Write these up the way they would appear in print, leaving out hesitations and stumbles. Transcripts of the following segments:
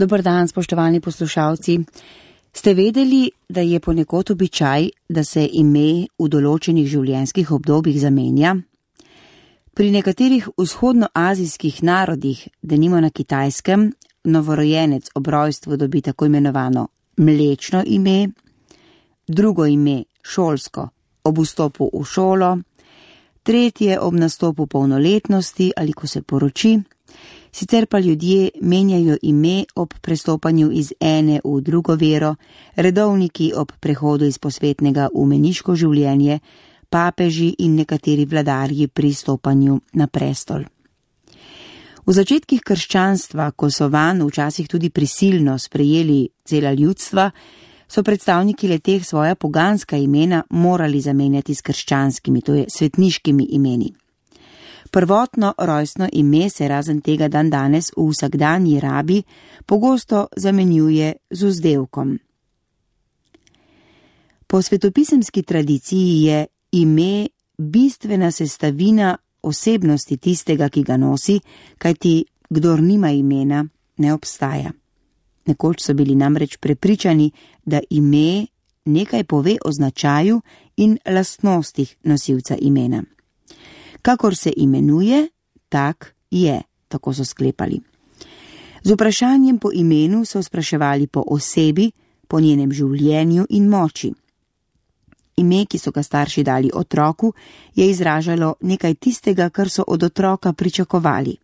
Dober dan, spoštovani poslušalci. Ste vedeli, da je ponekod običaj, da se ime v določenih življenjskih obdobjih zamenja? Pri nekaterih vzhodnoazijskih narodih, denimo na Kitajskem, novorojenec ob rojstvu dobi tako imenovano mlečno ime, drugo ime šolsko ob vstopu v šolo, tretje ob nastopu polnoletnosti ali ko se poroči, sicer pa ljudje menjajo ime ob prestopanju iz ene v drugo vero, redovniki ob prehodu iz posvetnega v meniško življenje, papeži in nekateri vladarji pri stopanju na prestol. V začetkih krščanstva, ko so vanj včasih tudi prisilno sprejeli cela ljudstva, so predstavniki leteh svoja poganska imena morali zamenjati s krščanskimi, to je svetniškimi imeni. Prvotno rojstno ime se razen tega dandanes v vsakdanji rabi pogosto zamenjuje z vzdevkom. Po svetopisemski tradiciji je ime bistvena sestavina osebnosti tistega, ki ga nosi, kajti kdor nima imena, ne obstaja. Nekoč so bili namreč prepričani, da ime nekaj pove o značaju in lastnostih nosilca imena. Kakor se imenuje, tak je, tako so sklepali. Z vprašanjem po imenu so spraševali po osebi, po njenem življenju in moči. Ime, ki so ga starši dali otroku, je izražalo nekaj tistega, kar so od otroka pričakovali.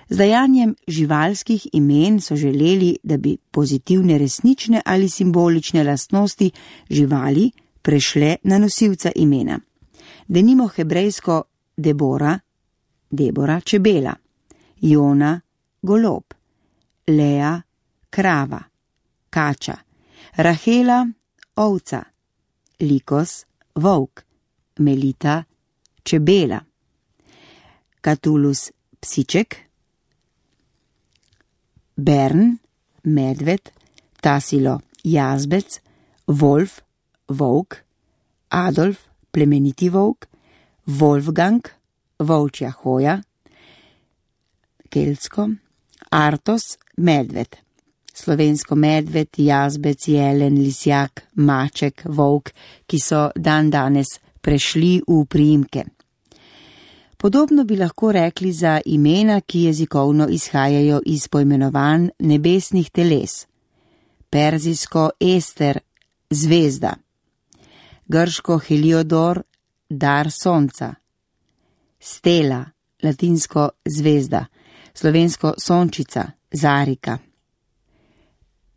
Z dajanjem živalskih imen so želeli, da bi pozitivne resnične ali simbolične lastnosti živali prešle na nosilca imena. Denimo hebrejsko Debora, čebela, Jona, golob, Lea, krava, kača, Rahela, ovca, Likos, volk, Melita, čebela, Katulus, psiček, Bern, medved, Tasilo, jazbec, Wolf, volk, Adolf, plemeniti volk, Wolfgang, volčja hoja, keltsko, Artos, medved, slovensko medved, jazbec, jelen, lisjak, maček, volk, ki so dandanes prešli v priimke. Podobno bi lahko rekli za imena, ki jezikovno izhajajo iz poimenovanj nebesnih teles. Perzijsko Ester, zvezda, grško Heliodor, dar sonca, Stela, latinsko zvezda, slovensko sončica, zarika.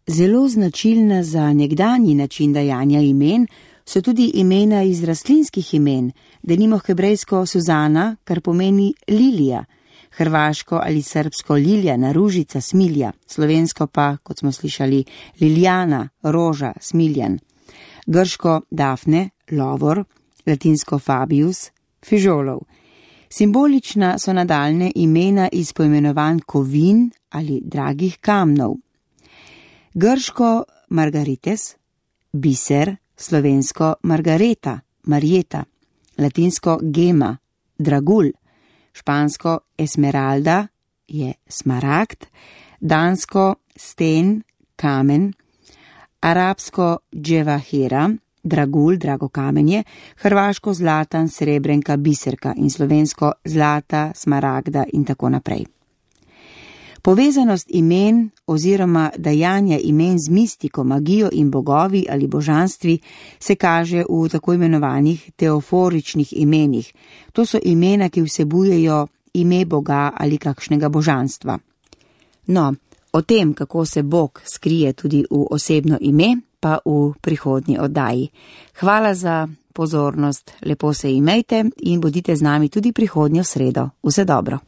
Zelo značilna za nekdanji način dajanja imen so tudi imena iz rastlinskih imen, denimo hebrejsko Suzana, kar pomeni lilija, hrvaško ali srbsko Liljana, ružica, smilja, slovensko pa, kot smo slišali, Liljana, roža, smiljan, grško Dafne, lovor, latinsko Fabius, fižolov. Simbolična so nadaljne imena iz poimenovanj kovin ali dragih kamnov. Grško Margarites, biser, slovensko Margareta, Marjeta, latinsko Gema, dragulj, špansko Esmeralda, je smaragd, dansko sten, kamen, arabsko dževahira, dragulj, drago kamenje, hrvaško zlatan, srebrenka, biserka in slovensko zlata, smaragda in tako naprej. Povezanost imen oziroma dajanja imen z mistiko, magijo in bogovi ali božanstvi se kaže v tako imenovanih teoforičnih imenih. To so imena, ki vsebujejo ime Boga ali kakšnega božanstva. No, o tem, kako se Bog skrije tudi v osebno ime, pa v prihodnji oddaji. Hvala za pozornost, lepo se imejte in bodite z nami tudi prihodnjo sredo. Vse dobro.